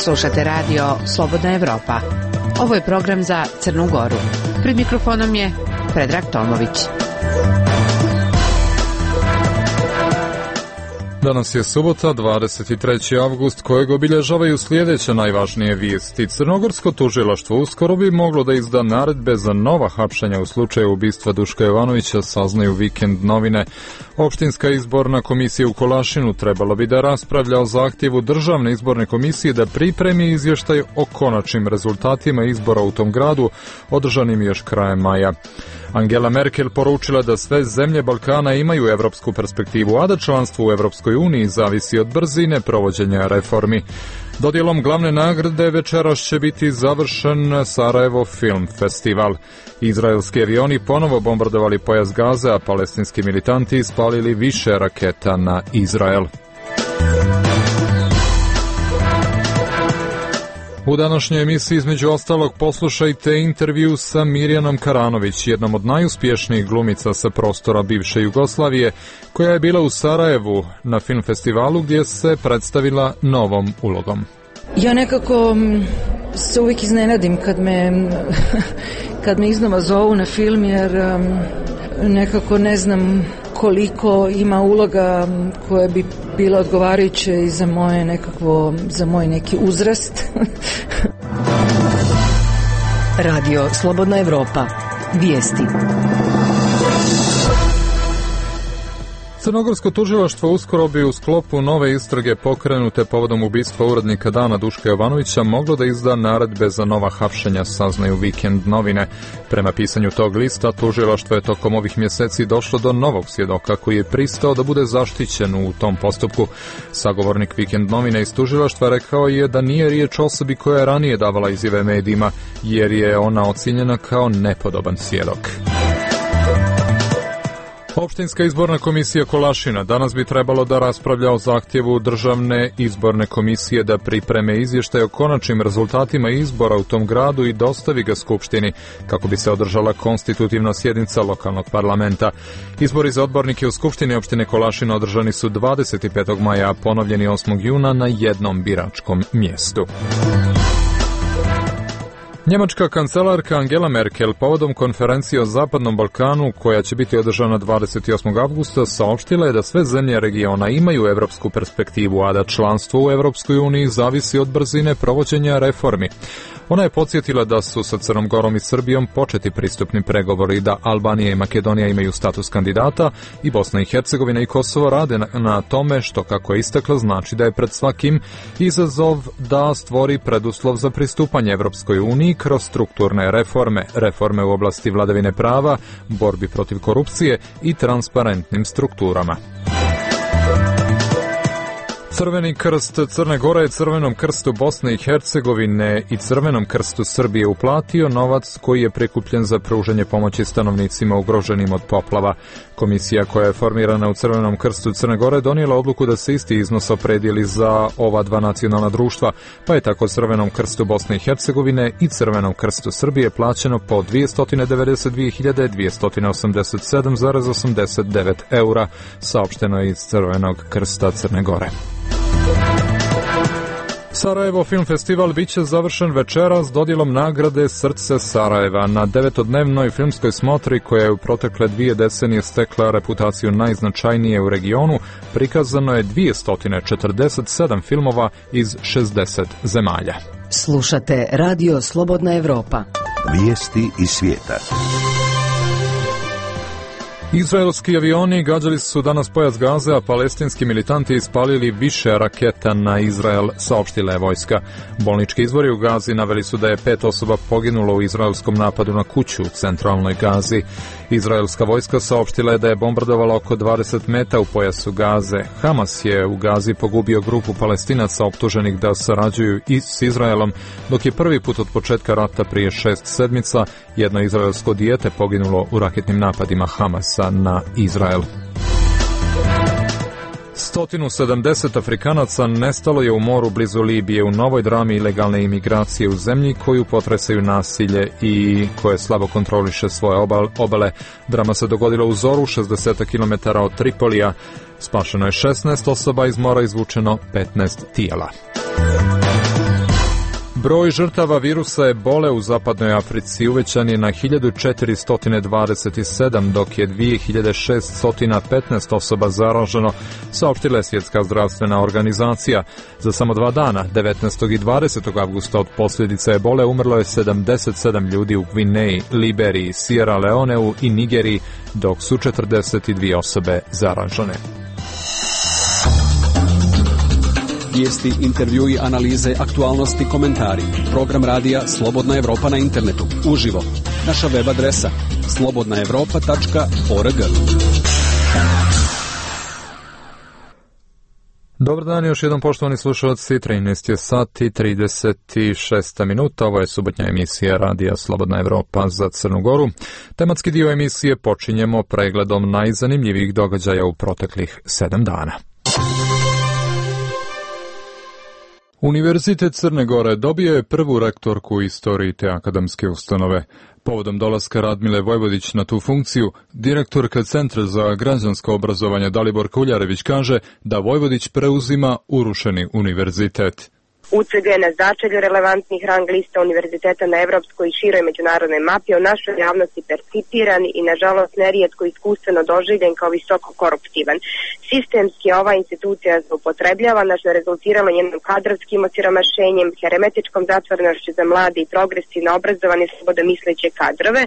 Slušate radio Slobodna Evropa. Ovo je program za Crnu Goru. Pred mikrofonom je Predrag Tomović. Danas je subota, 23. avgust, kojeg obilježavaju sljedeće najvažnije vijesti. Crnogorsko tužilaštvo uskoro bi moglo da izda naredbe za nova hapšenja u slučaju ubistva Duška Jovanovića, saznaju Vikend novine. Opštinska izborna komisija u Kolašinu trebalo bi da raspravlja o zahtjevu Državne izborne komisije da pripremi izvještaj o konačnim rezultatima izbora u tom gradu, održanim još krajem maja. Angela Merkel poručila da sve zemlje Balkana imaju evropsku perspektivu, a da članstvo u Evropskoj uniji zavisi od brzine provođenja reformi. Dodjelom glavne nagrade večeras će biti završen Sarajevo Film Festival. Izraelski avioni ponovo bombardovali pojas Gaze, a palestinski militanti ispalili više raketa na Izrael. U današnjoj emisiji između ostalog poslušajte intervju sa Mirjanom Karanović, jednom od najuspješnijih glumica sa prostora bivše Jugoslavije, koja je bila u Sarajevu na film festivalu gdje se predstavila novom ulogom. Ja nekako se uvijek iznenadim kad me iznova zovu na film, jer nekako ne znam koliko ima uloga koje bi bilo odgovarajuće i za moj neki uzrast. Radio Slobodna Evropa. Vijesti. Crnogorsko tužilaštvo uskoro bi u sklopu nove istrage pokrenute povodom ubistva urednika Dana Duška Jovanovića moglo da izda naredbe za nova hapšenja, saznaju Vikend novine. Prema pisanju tog lista, tužilaštvo je tokom ovih mjeseci došlo do novog svjedoka koji je pristao da bude zaštićen u tom postupku. Sagovornik Vikend novine iz tužilaštva rekao je da nije riječ o osobi koja je ranije davala izjave medijima, jer je ona ocijenjena kao nepodoban svjedok. Opštinska izborna komisija Kolašina danas bi trebalo da raspravlja o zahtjevu Državne izborne komisije da pripreme izvještaj o konačnim rezultatima izbora u tom gradu i dostavi ga Skupštini, kako bi se održala konstitutivna sjednica lokalnog parlamenta. Izbori za odbornike u Skupštini opštine Kolašina održani su 25. maja, a ponovljeni 8. juna na jednom biračkom mjestu. Njemačka kancelarka Angela Merkel povodom konferencije o Zapadnom Balkanu, koja će biti održana 28. avgusta, saopštila je da sve zemlje regiona imaju evropsku perspektivu, a da članstvo u Evropskoj uniji zavisi od brzine provođenja reformi. Ona je podsjetila da su sa Crnom Gorom i Srbijom početi pristupni pregovori, da Albanija i Makedonija imaju status kandidata i Bosna i Hercegovina i Kosovo rade na tome, što, kako je istakla, znači da je pred svakim izazov da stvori preduslov za pristupanje Evropskoj uniji kroz strukturne reforme u oblasti vladavine prava, borbi protiv korupcije i transparentnim strukturama. Crveni krst Crne Gore je Crvenom krstu Bosne i Hercegovine i Crvenom krstu Srbije uplatio novac koji je prikupljen za pružanje pomoći stanovnicima ugroženim od poplava. Komisija koja je formirana u Crvenom krstu Crne Gore donijela odluku da se isti iznos opredijeli za ova dva nacionalna društva, pa je tako Crvenom krstu Bosne i Hercegovine i Crvenom krstu Srbije plaćeno po 292.287,89 eura, saopšteno je iz Crvenog krsta Crne Gore. Sarajevo Film Festival biće završen večeras dodjelom nagrade Srce Sarajeva. Na 9-dnevnoj filmskoj smotri, koja je u protekle 2 decenije stekla reputaciju najznačajnije u regionu, prikazano je 247 filmova iz 60 zemalja. Slušate Radio Slobodna Evropa. Vijesti iz svijeta. Izraelski avioni gađali su danas pojas Gaze, a palestinski militanti ispalili više raketa na Izrael, saopštila je vojska. Bolnički izvori u Gazi naveli su da je 5 osoba poginulo u izraelskom napadu na kuću u centralnoj Gazi. Izraelska vojska saopštila je da je bombardovala oko 20 meta u pojasu Gaze. Hamas je u Gazi pogubio grupu Palestinaca optuženih da sarađuju i s Izraelom, dok je prvi put od početka rata prije 6 sedmica jedno izraelsko dijete poginulo u raketnim napadima Hamasa na Izrael. 170 Afrikanaca nestalo je u moru blizu Libije u novoj drami ilegalne imigracije u zemlji koju potresaju nasilje i koje slabo kontroliše svoje obale. Drama se dogodila u zoru 60 km od Tripolija. Spašeno je 16 osoba, iz mora izvučeno 15 tijela. Broj žrtava virusa ebole u zapadnoj Africi uvećan je na 1427, dok je 2615 osoba zaraženo, saopštila je Svjetska zdravstvena organizacija. Za samo 2 dana, 19. i 20. avgusta od posljedica ebole umrlo je 77 ljudi u Gvineji, Liberiji, Sierra Leoneu i Nigeriji, dok su 42 osobe zaražene. Vijesti, intervjui, analize, aktualnosti, komentari. Program radija Slobodna Evropa na internetu. Uživo. Naša web adresa slobodnaevropa.org. Dobar dan, još jednom poštovani slušalci, 13 je sati, 36 minuta, ovo je subotnja emisija radija Slobodna Evropa za Crnu Goru. Tematski dio emisije počinjemo pregledom najzanimljivijih događaja u proteklih 7 dana. Univerzitet Crne Gore dobio je prvu rektorku u istoriji te akademske ustanove. Povodom dolaska Radmile Vojvodić na tu funkciju, direktorka Centra za građansko obrazovanje Dalibor Kuljarević kaže da Vojvodić preuzima urušeni univerzitet. UCG je na začelju relevantnih rang lista univerziteta na evropskoj i široj međunarodnoj mapi o našoj javnosti percipiran i nažalost nerijetko iskustveno doživljen kao visoko koruptivan. Sistemski ova institucija zloupotrebljavana što je rezultiralo njenom kadrovskim osiromašenjem, hermetičkom zatvorenošću za mlade i progresivno obrazovane slobodomisleće kadrove.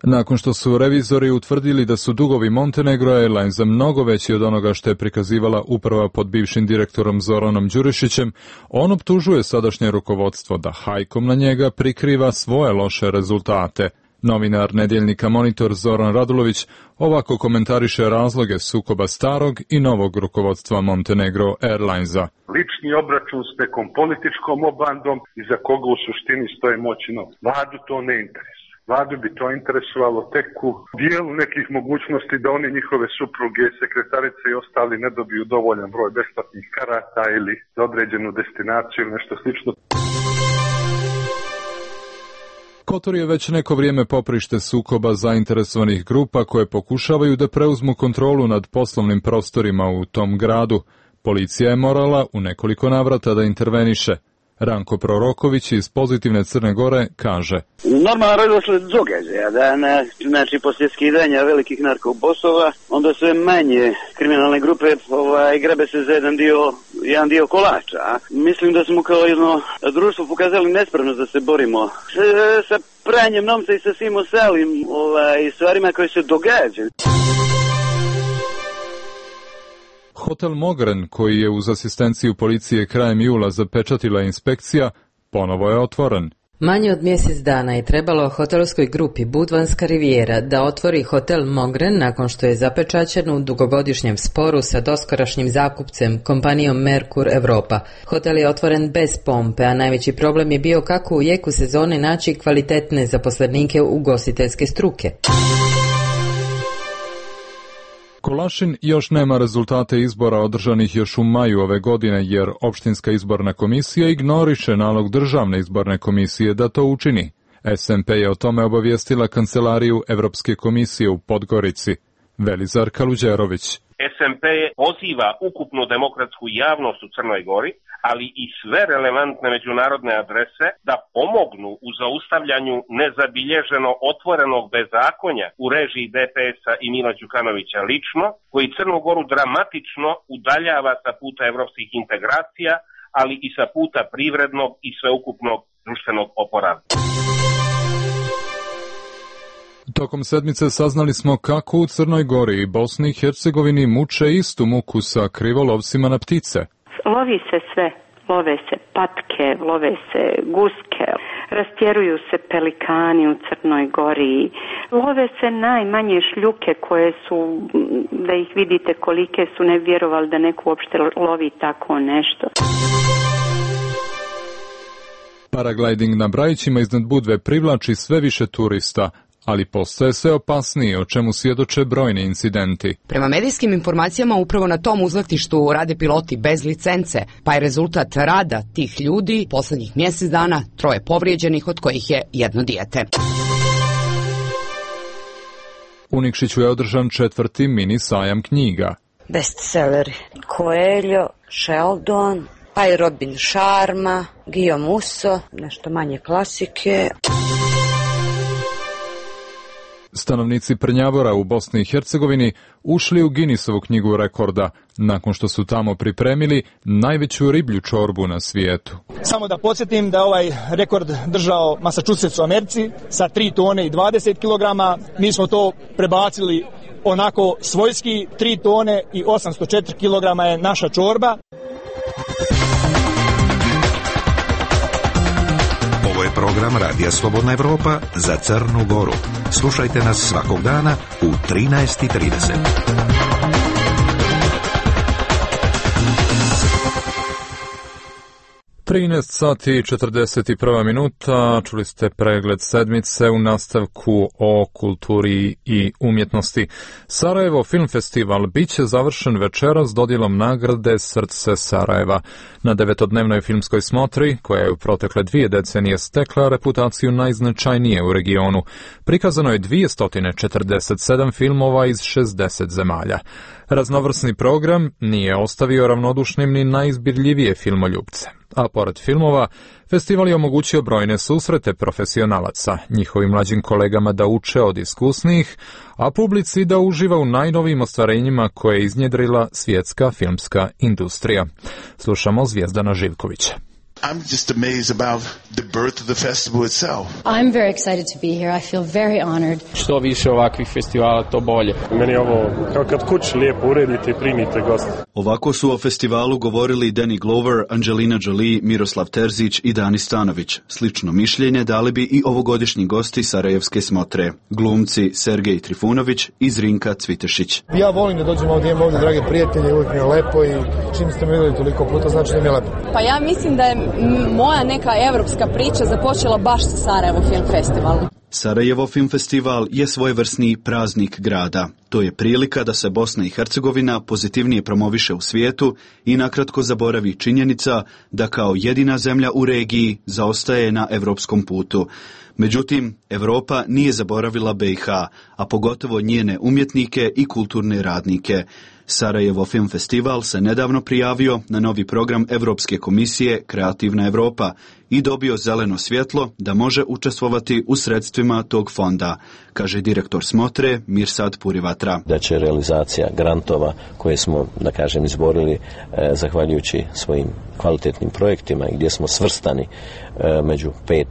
Nakon što su revizori utvrdili da su dugovi Montenegro Airlinesa mnogo veći od onoga što je prikazivala uprava pod bivšim direktorom Zoranom Đurišićem, on optužuje sadašnje rukovodstvo da hajkom na njega prikriva svoje loše rezultate. Novinar nedjeljnika Monitor Zoran Radulović ovako komentariše razloge sukoba starog i novog rukovodstva Montenegro Airlinesa. Lični obračun s nekom političkom obandom iza koga u suštini stoje moćno. Vladu to ne interesuje. Vladu bi to interesovalo tek u dijelu nekih mogućnosti da oni, njihove supruge, sekretarice i ostali ne dobiju dovoljan broj besplatnih karata ili za određenu destinaciju ili nešto slično. Kotor je već neko vrijeme poprište sukoba zainteresovanih grupa koje pokušavaju da preuzmu kontrolu nad poslovnim prostorima u tom gradu. Policija je morala u nekoliko navrata da interveniše. Ranko Proroković iz Pozitivne Crne Gore kaže: Normalno redosled događaja da znači poslije skidanja velikih narkobosova onda sve manje kriminalne grupe grabe se za jedan dio kolača. Mislim da smo kao jedno društvo pokazali nespremnost da se borimo sa pranjem novca i sa svim ostalim stvarima koje se događaju. Hotel Mogren, koji je uz asistenciju policije krajem jula zapečatila inspekcija, ponovo je otvoren. Manje od mjesec dana je trebalo hotelskoj grupi Budvanska Rivijera da otvori hotel Mogren nakon što je zapečaćen u dugogodišnjem sporu sa doskorašnjim zakupcem, kompanijom Merkur Europa. Hotel je otvoren bez pompe, a najveći problem je bio kako u jeku sezone naći kvalitetne zaposlenike ugostiteljske struke. Kolašin još nema rezultate izbora održanih još u maju ove godine, jer opštinska izborna komisija ignoriše nalog državne izborne komisije da to učini. SMP je o tome obavijestila kancelariju Evropske komisije u Podgorici. Velizar Kaluđerović. SMP poziva ukupnu demokratsku javnost u Crnoj Gori, ali i sve relevantne međunarodne adrese da pomognu u zaustavljanju nezabilježeno otvorenog bezakonja u režiji DPS-a i Mila Đukanovića lično, koji Crnu Goru dramatično udaljava sa puta evropskih integracija, ali i sa puta privrednog i sveukupnog društvenog oporavka. Tokom sedmice saznali smo kako u Crnoj Gori i Bosni i Hercegovini muče istu muku sa krivolovcima na ptice. Lovi se sve, love se patke, love se guske, rastjeruju se pelikani u Crnoj Gori, love se najmanje šljuke koje su, da ih vidite kolike su, ne vjerovali da neko uopšte lovi tako nešto. Paragliding na Brajićima iznad Budve privlači sve više turista, ali postaje sve opasnije, o čemu svjedoče brojni incidenti. Prema medijskim informacijama upravo na tom uzletištu rade piloti bez licence, pa je rezultat rada tih ljudi poslednjih mjesec dana 3 povrijeđenih, od kojih je 1 dijete. U Nikšiću je održan 4. mini sajam knjiga. Bestselleri Coelho, Sheldon, pa i Robin Sharma, Guillaume Musso, nešto manje klasike. Stanovnici Prnjavora u Bosni i Hercegovini ušli u Guinnessovu knjigu rekorda nakon što su tamo pripremili najveću riblju čorbu na svijetu. Samo da podsjetim da ovaj rekord držao Massachusetts u Americi sa 3 tone i 20 kg. Mi smo to prebacili onako svojski, 3 tone i 804 kg je naša čorba. Ovo je program Radija Slobodna Evropa za Crnu Goru. Slušajte nas svakog dana u 13:30. 13 sati i 41 minuta, čuli ste pregled sedmice u nastavku o kulturi i umjetnosti. Sarajevo Film Festival bit će završen večeras dodjelom nagrade Srce Sarajeva. Na 9-dnevnoj filmskoj smotri, koja je u protekle 2 decenije stekla reputaciju najznačajnije u regionu, prikazano je 247 filmova iz 60 zemalja. Raznovrsni program nije ostavio ravnodušnim ni najizbirljivije filmoljupce. A pored filmova, festival je omogućio brojne susrete profesionalaca, njihovim mlađim kolegama da uče od iskusnijih, a publici da uživa u najnovijim ostvarenjima koje je iznjedrila svjetska filmska industrija. Slušamo Zvijezdana Živkovića. I'm just amazed about the birth of the festival itself. I'm very excited to be here. I feel very honored. Što više ovakvih festivala, to bolje. Meni je ovo kao kad kući lijepo uredite i primite goste. Ovako su o festivalu govorili Danny Glover, Angelina Jolie, Miroslav Terzić i Dani Stanović. Slično mišljenje dali bi i ovogodišnji gosti Sarajevske smotre, glumci Sergej Trifunović i Zrinka Cvitešić. Ja volim da dođem ovdje, imam ovdje drage prijatelje, uvijek mi je lepo i čim ste me vidjeli toliko puta, znači da mi je lepo. Pa ja mislim da je moja neka evropska priča započela baš sa Sarajevo Film Festivalom. Sarajevo Film Festival je svojevrsni praznik grada. To je prilika da se Bosna i Hercegovina pozitivnije promoviše u svijetu i nakratko zaboravi činjenica da kao jedina zemlja u regiji zaostaje na evropskom putu. Međutim, Europa nije zaboravila BiH, a pogotovo njene umjetnike i kulturne radnike. Sarajevo Film Festival se nedavno prijavio na novi program Evropske komisije Kreativna Europa i dobio zeleno svjetlo da može učestvovati u sredstvima tog fonda, kaže direktor smotre Mirsad Purivatra. Da će realizacija grantova koje smo, da kažem, izborili zahvaljujući svojim kvalitetnim projektima i gdje smo svrstani među 5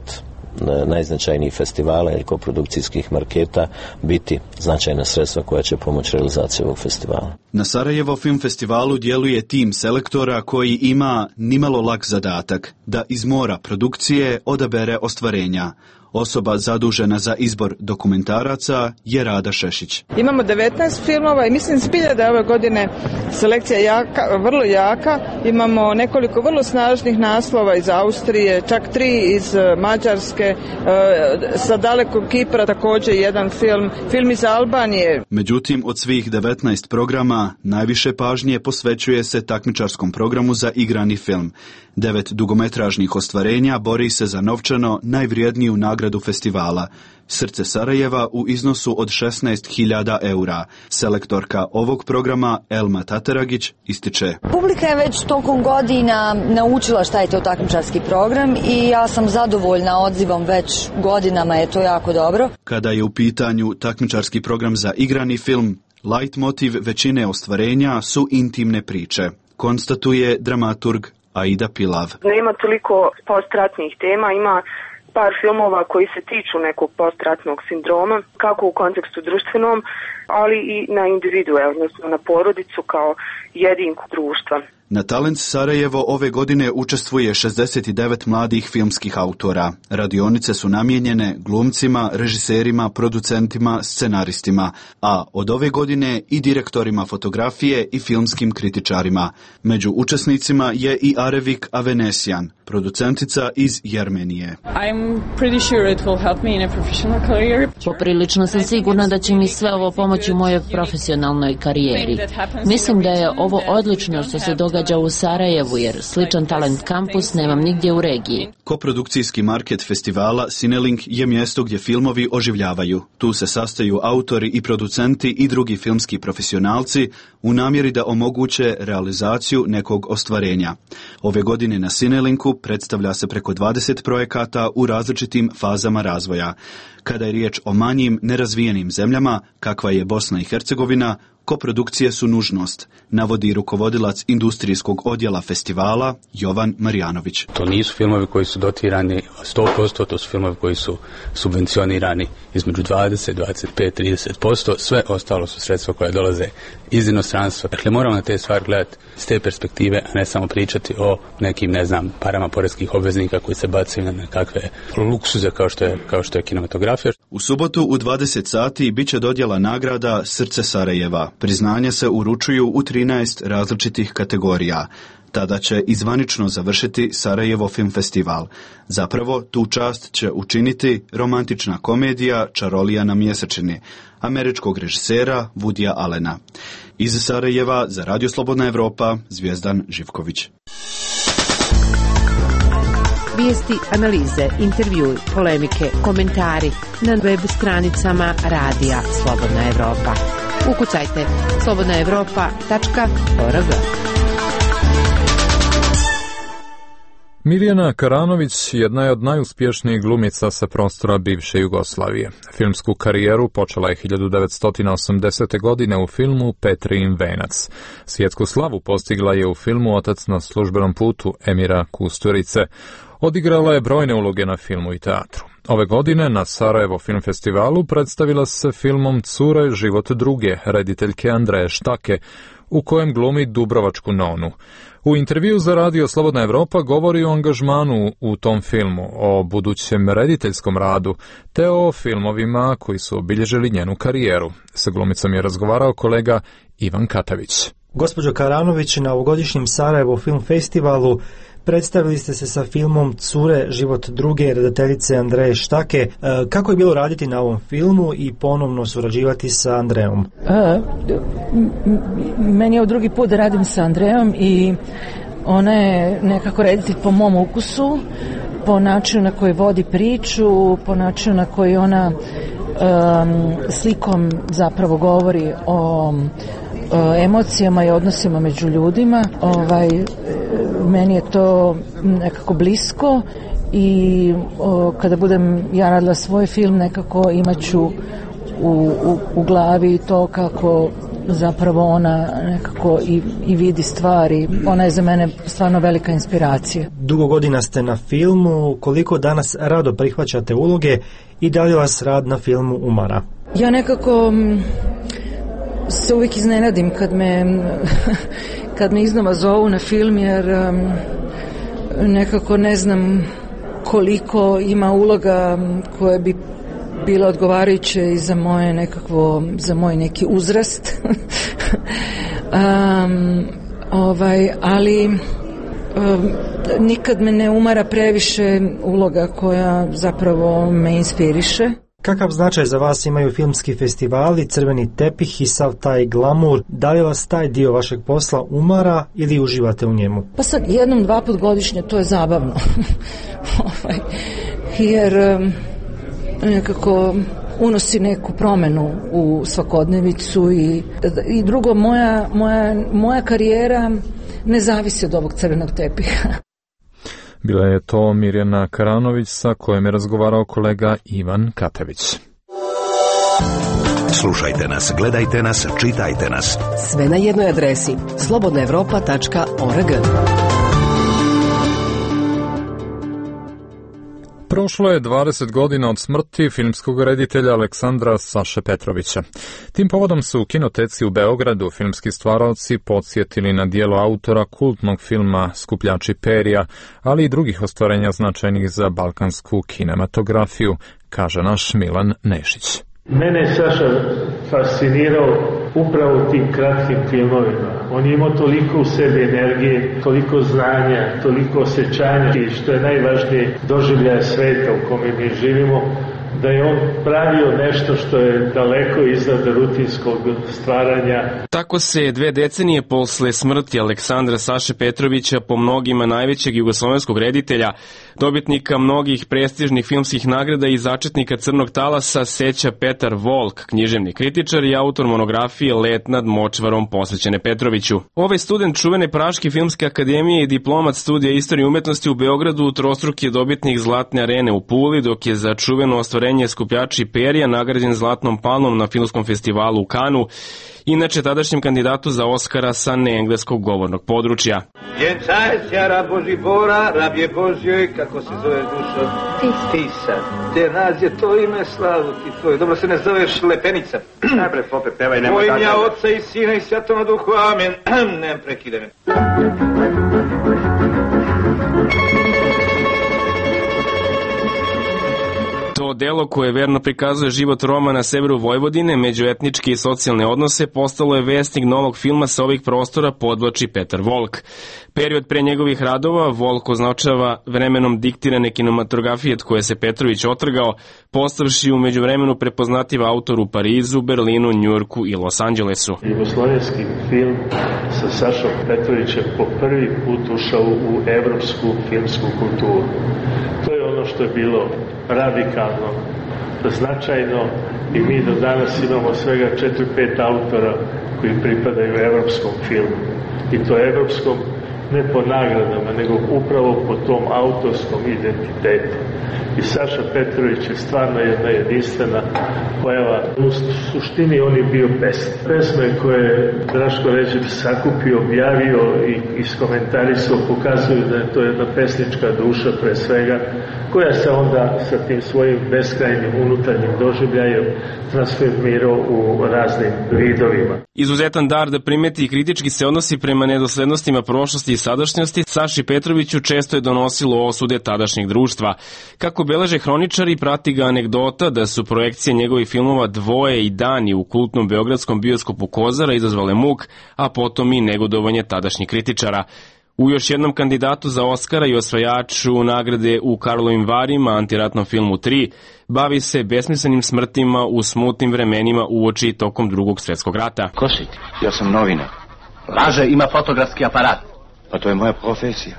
najznačajnijih festivala ili koprodukcijskih marketa biti značajna sredstva koja će pomoći realizaciji ovog festivala. Na Sarajevo Film Festivalu djeluje tim selektora koji ima nimalo lak zadatak da iz mora produkcije odabere ostvarenja. Osoba zadužena za izbor dokumentaraca je Rada Šešić. Imamo 19 filmova i mislim zbilja da je ove godine selekcija vrlo jaka. Imamo nekoliko vrlo snažnih naslova iz Austrije, čak 3 iz Mađarske, sa dalekog Kipra također jedan film iz Albanije. Međutim, od svih 19 programa najviše pažnje posvećuje se takmičarskom programu za igrani film. 9 dugometražnih ostvarenja bori se za novčano najvrijedniju nagradu festivala, Srce Sarajeva u iznosu od 16.000 eura. Selektorka ovog programa Elma Tateragić ističe. Publika je već tokom godina naučila šta je to takmičarski program i ja sam zadovoljna odzivom, već godinama je to jako dobro. Kada je u pitanju takmičarski program za igrani film, leitmotiv većine ostvarenja su intimne priče, konstatuje dramaturg Aida Pilav. Nema toliko postratnih tema, ima par filmova koji se tiču nekog postratnog sindroma, kako u kontekstu društvenom, ali i na individue, odnosno na porodicu kao jedinku društva. Na Talent Sarajevo ove godine učestvuje 69 mladih filmskih autora. Radionice su namijenjene glumcima, režiserima, producentima, scenaristima, a od ove godine i direktorima fotografije i filmskim kritičarima. Među učesnicima je i Arevik Avenesian, producentica iz Jermenije. Poprilično sam sigurna da će mi sve ovo pomoći u mojoj profesionalnoj karijeri. Mislim da je ovo odlično što se događa događa u Sarajevu, jer sličan Talent Campus nemam nigdje u regiji. Koprodukcijski market festivala Cinelink je mjesto gdje filmovi oživljavaju. Tu se sastaju autori i producenti i drugi filmski profesionalci u namjeri da omoguće realizaciju nekog ostvarenja. Ove godine na Cinelinku predstavlja se preko 20 projekata u različitim fazama razvoja. Kada je riječ o manjim, nerazvijenim zemljama, kakva je Bosna i Hercegovina, koprodukcije su nužnost, navodi rukovodilac industrijskog odjela festivala Jovan Marjanović. To nisu filmovi koji su dotirani 100%, to su filmovi koji su subvencionirani između 20, 25, 30%, sve ostalo su sredstva koja dolaze iz inostranstva. Dakle, moramo na te stvari gledati s te perspektive, a ne samo pričati o nekim, parama poreskih obveznika koji se bacaju na nekakve luksuze kao što je kinematografija. U subotu u 20 sati bit će dodjela nagrada Srce Sarajeva. Priznanja se uručuju u 13 različitih kategorija. Tada će izvanično završiti Sarajevo film festival. Zapravo, tu čast će učiniti romantična komedija Čarolija na mjesečini, američkog režisera Woodya Allena. Iz Sarajeva za Radio Slobodna Evropa, Zvijezdan Živković. Vijesti, analize, intervjui, polemike, komentari na web stranicama Radija Slobodna Evropa. Ukucajte slobodnaevropa.org. Mirjana Karanović jedna je od najuspješnijih glumica sa prostora bivše Jugoslavije. Filmsku karijeru počela je 1980. godine u filmu Petrijin venac. Svjetsku slavu postigla je u filmu Otac na službenom putu Emira Kusturice. Odigrala je brojne uloge na filmu i teatru. Ove godine na Sarajevo film festivalu predstavila se filmom Cure, život druge, rediteljke Andreje Štake, u kojem glumi Dubrovačku nonu. U intervju za Radio Slobodna Evropa govori o angažmanu u tom filmu, o budućem rediteljskom radu, te o filmovima koji su obilježili njenu karijeru. Sa glumicom je razgovarao kolega Ivan Katavić. Gospođo Karanović, na ovogodišnjem Sarajevo film festivalu predstavili ste se sa filmom Cure, život druge, redateljice Andreje Štake. Kako je bilo raditi na ovom filmu i ponovno surađivati sa Andrejom? Meni je ovo drugi put da radim sa Andrejom i ona je nekako reditelj po mom ukusu, po načinu na koji vodi priču, po načinu na koji ona slikom zapravo govori o emocijama i odnosima među ljudima. Meni je to nekako blisko i kada budem ja radila svoj film, nekako imat ću u glavi to kako zapravo ona nekako i vidi stvari. Ona je za mene stvarno velika inspiracija. Dugo godina ste na filmu, koliko danas rado prihvaćate uloge i da li vas rad na filmu umara? Ja nekako se uvijek iznenadim kad me iznova zovu na film, jer nekako ne znam koliko ima uloga koje bi bilo odgovarajuće i za moj neki uzrast. Ali nikad me ne umara previše uloga koja zapravo me inspiriše. Kakav značaj za vas imaju filmski festivali, crveni tepih i sav taj glamur? Da li vas taj dio vašeg posla umara ili uživate u njemu? Pa sad jednom, dva put godišnje to je zabavno. Jer nekako unosi neku promjenu u svakodnevicu i drugo, moja karijera ne zavisi od ovog crvenog tepiha. Bila je to Mirjana Karanović sa kojom je razgovarao kolega Ivan Katavić. Slušajte nas, gledajte nas, čitajte nas. Sve na jednoj adresi slobodnaevropa.org. Prošlo je 20 godina od smrti filmskog reditelja Aleksandra Saše Petrovića. Tim povodom su u kinoteci u Beogradu filmski stvaraoci podsjetili na djelo autora kultnog filma Skupljači perja, ali i drugih ostvarenja značajnih za balkansku kinematografiju, kaže naš Milan Nešić. Mene je Saša fascinirao upravo tim kratkim filmovima. On je imao toliko u sebi energije, toliko znanja, toliko osjećanja i što je najvažnije doživljaja sveta u kome mi živimo, da je on pravio nešto što je daleko iznad rutinskog stvaranja. Tako se 2 decenije posle smrti Aleksandra Saše Petrovića, po mnogima najvećeg jugoslovenskog reditelja, dobitnika mnogih prestižnih filmskih nagrada i začetnika Crnog talasa, seća Petar Volk, književni kritičar i autor monografije Let nad močvarom posvećene Petroviću. Ovaj student čuvene Praške filmske akademije i diplomat studija istorije umetnosti u Beogradu trostruki je dobitnik Zlatne arene u Puli, dok je za čuveno ostvarenje Skupljači perja nagrađen Zlatnom palmom na filmskom festivalu u Kanu, inače tadašnjem kandidatu za Oskara sa neengleskog govornog područja. Vjenčajся, rab Boži Bora, rabje Božjoj, kako se zoveš dušo? Tisa. Te nas je to ime, slavu ti tvoj. Dobro se ne zoveš Lepenica. Najprej popet pevaj, nemoj tako. Tvojim ja Otca i Sina i Svjetoma Duhu, amen. Nem prekide me. To delo koje verno prikazuje život Roma na severu Vojvodine, međuetničke i socijalne odnose, postalo je vesnik novog filma sa ovih prostora, podvlači Petar Volk. Period pre njegovih radova Volk označava vremenom diktirane kinematografije od koje se Petrović otrgao, postavši u međuvremenu prepoznativ autor u Parizu, Berlinu, Njujorku i Los Angelesu. Jugoslovenski film sa Sašom Petrovićem po prvi put ušao u evropsku filmsku kulturu. To je ono što je bilo radikalno, značajno i mi do danas imamo svega 4-5 autora koji pripadaju evropskom filmu. I to evropskom ne po nagradama, nego upravo po tom autorskom identitetu. I Saša Petrović je stvarno jedna jedinstvena pojava. U suštini on je bio pesnik. Pesme koje je Draško Ređep sakupio, objavio i iskomentarisao pokazuju da je to jedna pesnička duša pre svega, koja se onda sa tim svojim beskrajnim unutarnjim doživljajem transformirao u raznim vidovima. Izuzetan dar da primeti i kritički se odnosi prema nedoslednostima prošlosti i sadašnjosti, Saši Petroviću često je donosilo osude tadašnjeg društva. Kako beleže hroničari, prati ga anegdota da su projekcije njegovih filmova Dvoje i Dani u kultnom beogradskom bioskopu Kozara izazvale muk, a potom i negodovanje tadašnjih kritičara. U još jednom kandidatu za Oskara i osvajaču nagrade u Karlovim Varima, antiratnom filmu 3, bavi se besmislenim smrtima u smutnim vremenima uoči tokom Drugog svjetskog rata. Ko si ti? Ja sam novinar. Laže, ima fotografski aparat. Pa to je moja profesija.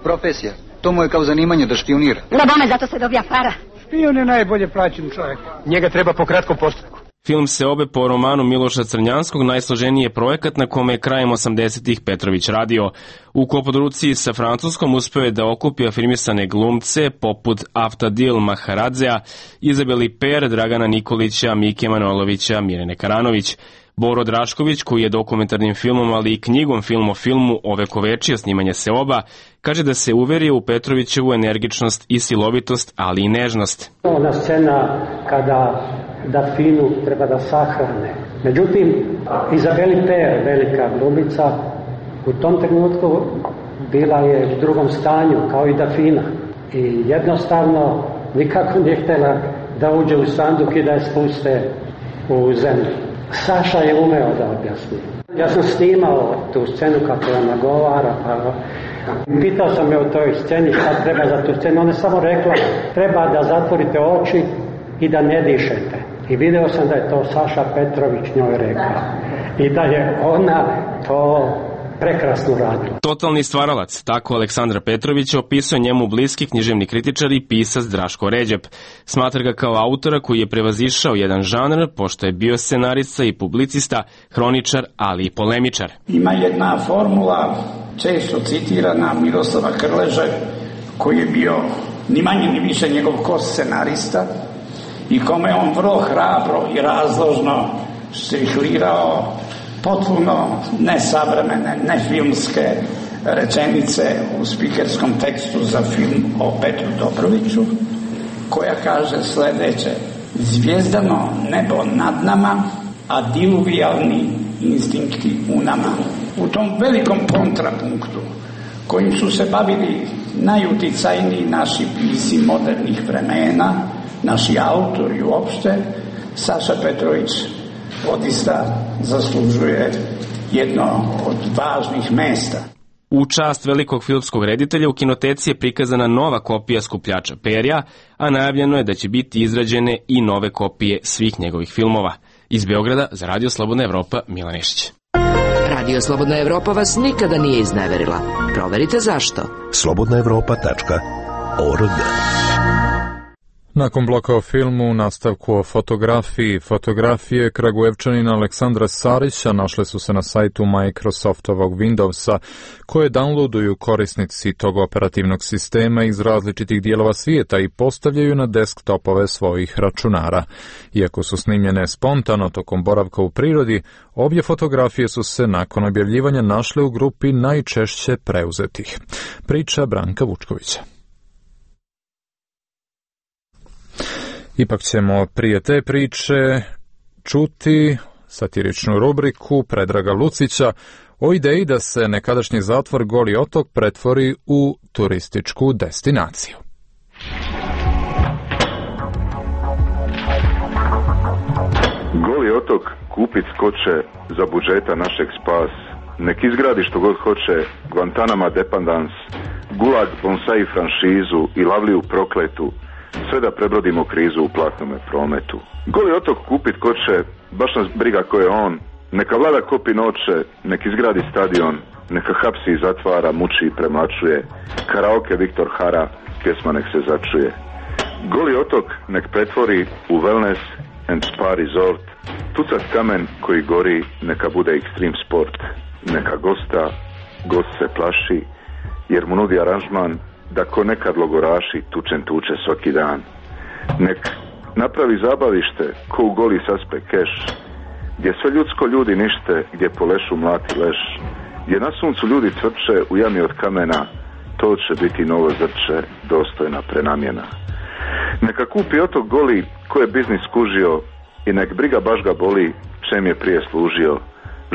Profesija? To mu je kao zanimanje da špionira. Na bome, zato se dobija para. Špion je najbolje plaćen čovjek. Njega treba po kratkom postupku. Film se obe po romanu Miloša Crnjanskog, najsloženiji je projekat na kome je krajem 80-ih Petrović radio. U koprodukciji sa Francuskom uspeo je da okupi afirmisane glumce poput Aftadil Maharadzea, Izabeli Per, Dragana Nikolića, Mike Manojlovića, Mirjane Karanović. Boro Drašković, koji je dokumentarnim filmom, ali i knjigom Film o filmu ovekovečio snimanje Seoba, kaže da se uverio u Petrovićevu energičnost i silovitost, ali i nežnost. Ona scena kada da Finu treba da sahrane. Međutim, Izabeli Per, velika glumica, u tom trenutku bila je u drugom stanju, kao i Dafina. I jednostavno nikako nije htjela da uđe u sanduk i da je spuste u zemlju. Saša je umeo da objasni. Ja sam snimao tu scenu kako je nagovara, pa pitao sam je o toj sceni šta treba za tu scenu. Ona je samo rekla, treba da zatvorite oči i da ne dišete. I video sam da je to Saša Petrović njoj rekao. I da je ona to prekrasno radila. Totalni stvaralac, tako Aleksandra Petrović opisuje njemu bliski književni kritičar i pisac Draško Ređep. Smatra ga kao autora koji je prevazišao jedan žanr, pošto je bio scenarista i publicista, hroničar, ali i polemičar. Ima jedna formula, često citirana Miroslava Krleže, koji je bio ni manje ni više njegov ko-scenarista i kome on vrlo hrabro i razložno strihlirao potpuno nesavremene, nefilmske rečenice u spikerskom tekstu za film o Petru Dobroviću, koja kaže sljedeće: zvijezdano nebo nad nama, a diluvijalni instinkti u nama. U tom velikom kontrapunktu kojim su se bavili najuticajniji naši pisci modernih vremena, naši autori uopšte, Saša Petrović odista zaslužuje jedno od važnih mesta. U čast velikog filmskog reditelja u kinoteci je prikazana nova kopija Skupljača perja, a najavljeno je da će biti izrađene i nove kopije svih njegovih filmova. Iz Beograda za Radio Slobodna Evropa, Milan Nešić. Radio Slobodna Evropa vas nikada nije izneverila. Proverite zašto. slobodnaevropa.org. Nakon bloka o filmu, nastavku o fotografije Kragujevčanina Aleksandra Sarića našle su se na sajtu Microsoftovog Windowsa, koje downloaduju korisnici tog operativnog sistema iz različitih dijelova svijeta i postavljaju na desktopove svojih računara. Iako su snimljene spontano tokom boravka u prirodi, obje fotografije su se nakon objavljivanja našle u grupi najčešće preuzetih. Priča Branka Vučkovića. Ipak ćemo prije te priče čuti satiričnu rubriku Predraga Lucića o ideji da se nekadašnji zatvor Goli otok pretvori u turističku destinaciju. Goli otok kupit skoče za budžeta našeg spas. Nek izgradi što god hoće Guantanama dependans, Gulag bonsai franšizu i Lavliju prokletu, sve da prebrodimo krizu u platnome prometu. Goli otok kupit koče, baš nas briga ko je on, neka vlada kopi noće, nek izgradi stadion, neka hapsi i zatvara, muči i premlačuje, karaoke Viktor Hara, pjesma nek se začuje. Goli otok nek pretvori u wellness and spa resort, tucat kamen koji gori neka bude extreme sport, neka gost se plaši, jer mu nudi aranžman da ko nekad logoraši tuče svaki dan. Nek napravi zabavište ko u Goli saspe keš, gdje sve ljudsko ljudi nište, gdje po lešu mlati leš, gdje na suncu ljudi cvrče u jami od kamena, to će biti novo zrče, dostojna prenamjena. Neka kupi otok Goli ko je biznis skužio i nek briga baš ga boli čem je prije služio.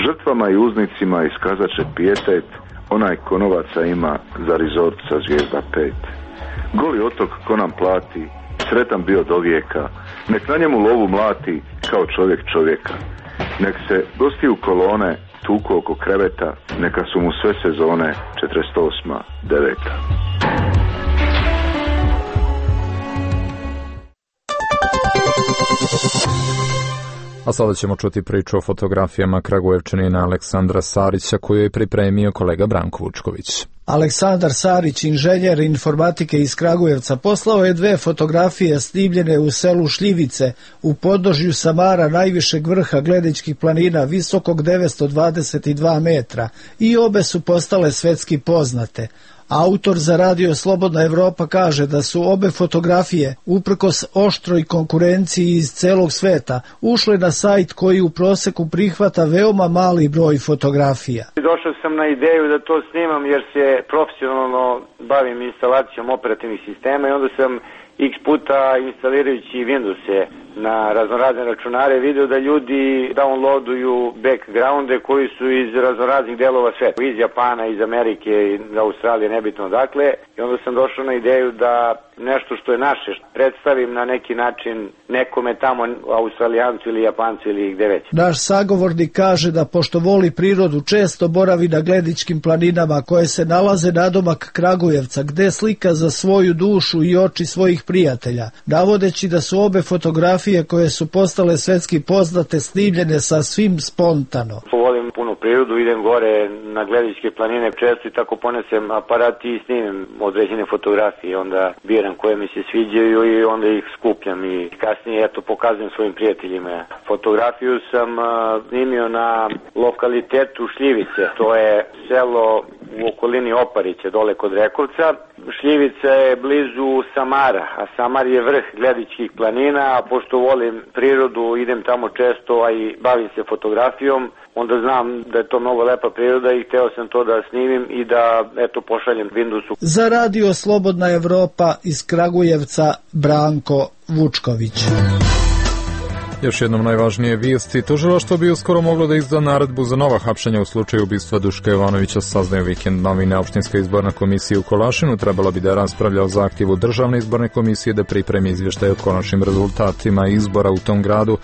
Žrtvama i uznicima iskazat će pijetet, onaj ko novaca ima za rezort sa zvijezda 5. Goli otok ko nam plati, sretan bio do vijeka, nek na njemu lovu mlati kao čovjek čovjeka. Nek se gosti u kolone tuku oko kreveta, neka su mu sve sezone 48. 9. A sada ćemo čuti priču o fotografijama Kragujevčanina Aleksandra Sarića koju je pripremio kolega Branko Vučković. Aleksandar Sarić, inženjer informatike iz Kragujevca, poslao je 2 fotografije snimljene u selu Šljivice u podnožju Samara, najvišeg vrha Gledečkih planina, visokog 922 metra, i obe su postale svetski poznate. Autor za Radio Slobodna Evropa kaže da su obe fotografije, uprkos oštroj konkurenciji iz celog sveta, ušle na sajt koji u proseku prihvata veoma mali broj fotografija. Došao sam na ideju da to snimam jer se profesionalno bavim instalacijom operativnih sistema i onda sam x puta instalirajući Windowse na raznorazne računare video da ljudi downloaduju backgrounde koji su iz raznoraznih delova sveta, iz Japana, iz Amerike, iz Australije, nebitno dakle, i onda sam došao na ideju da nešto što je naše predstavim na neki način nekome tamo, Australijancu ili Japancu ili gde već. Naš sagovornik kaže da pošto voli prirodu često boravi na Gledečkim planinama koje se nalaze nadomak Kragujevca, gde slika za svoju dušu i oči svojih prijatelja, navodeći da su obe fotografije koje su postale svetski poznate snimljene sasvim spontano. Volim puno prirodu, idem gore na Gledečke planine često i tako ponesem aparat i snimim određene fotografije, onda biram koje mi se sviđaju i onda ih skupljam i kasnije pokazujem svojim prijateljima. Fotografiju sam snimio na lokalitetu Šljivice, to je selo u okolini Oparića, dole kod Rekovca. Šljivica je blizu Samara, a Samar je vrh Gledečkih planina, a pošto volim prirodu, idem tamo često, a i bavim se fotografijom, onda znam da je to mnogo lepa priroda i hteo sam to da snimim i da pošaljem Windowsu. Za Radio Slobodna Evropa iz Kragujevca, Branko Vučković. Još jednom najvažnije vijesti. Tužilaštvo bi uskoro moglo da izda naredbu za nova hapšenja u slučaju ubistva Duška Jovanovića, saznaju Vikend novine. Opštinska izborna komisija u Kolašinu trebala bi da raspravlja o zahtjevu Državne izborne komisije da pripremi izvještaj o konačnim rezultatima izbora u tom gradu.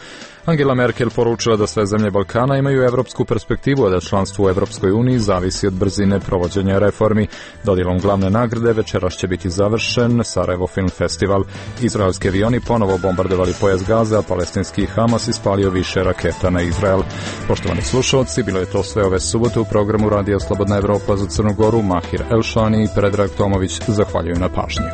Angela Merkel poručila da sve zemlje Balkana imaju evropsku perspektivu, a da članstvo u Evropskoj uniji zavisi od brzine provođenja reformi. Dodjelom glavne nagrade večeras će biti završen Sarajevo Film Festival. Izraelski avioni ponovo bombardovali pojas Gaze, a palestinski Hamas ispalio više raketa na Izrael. Poštovani slušalci, bilo je to sve ove subote u programu Radija Slobodna Evropa za Crnu Goru. Mahir Elšani i Predrag Tomović zahvaljuju na pažnji.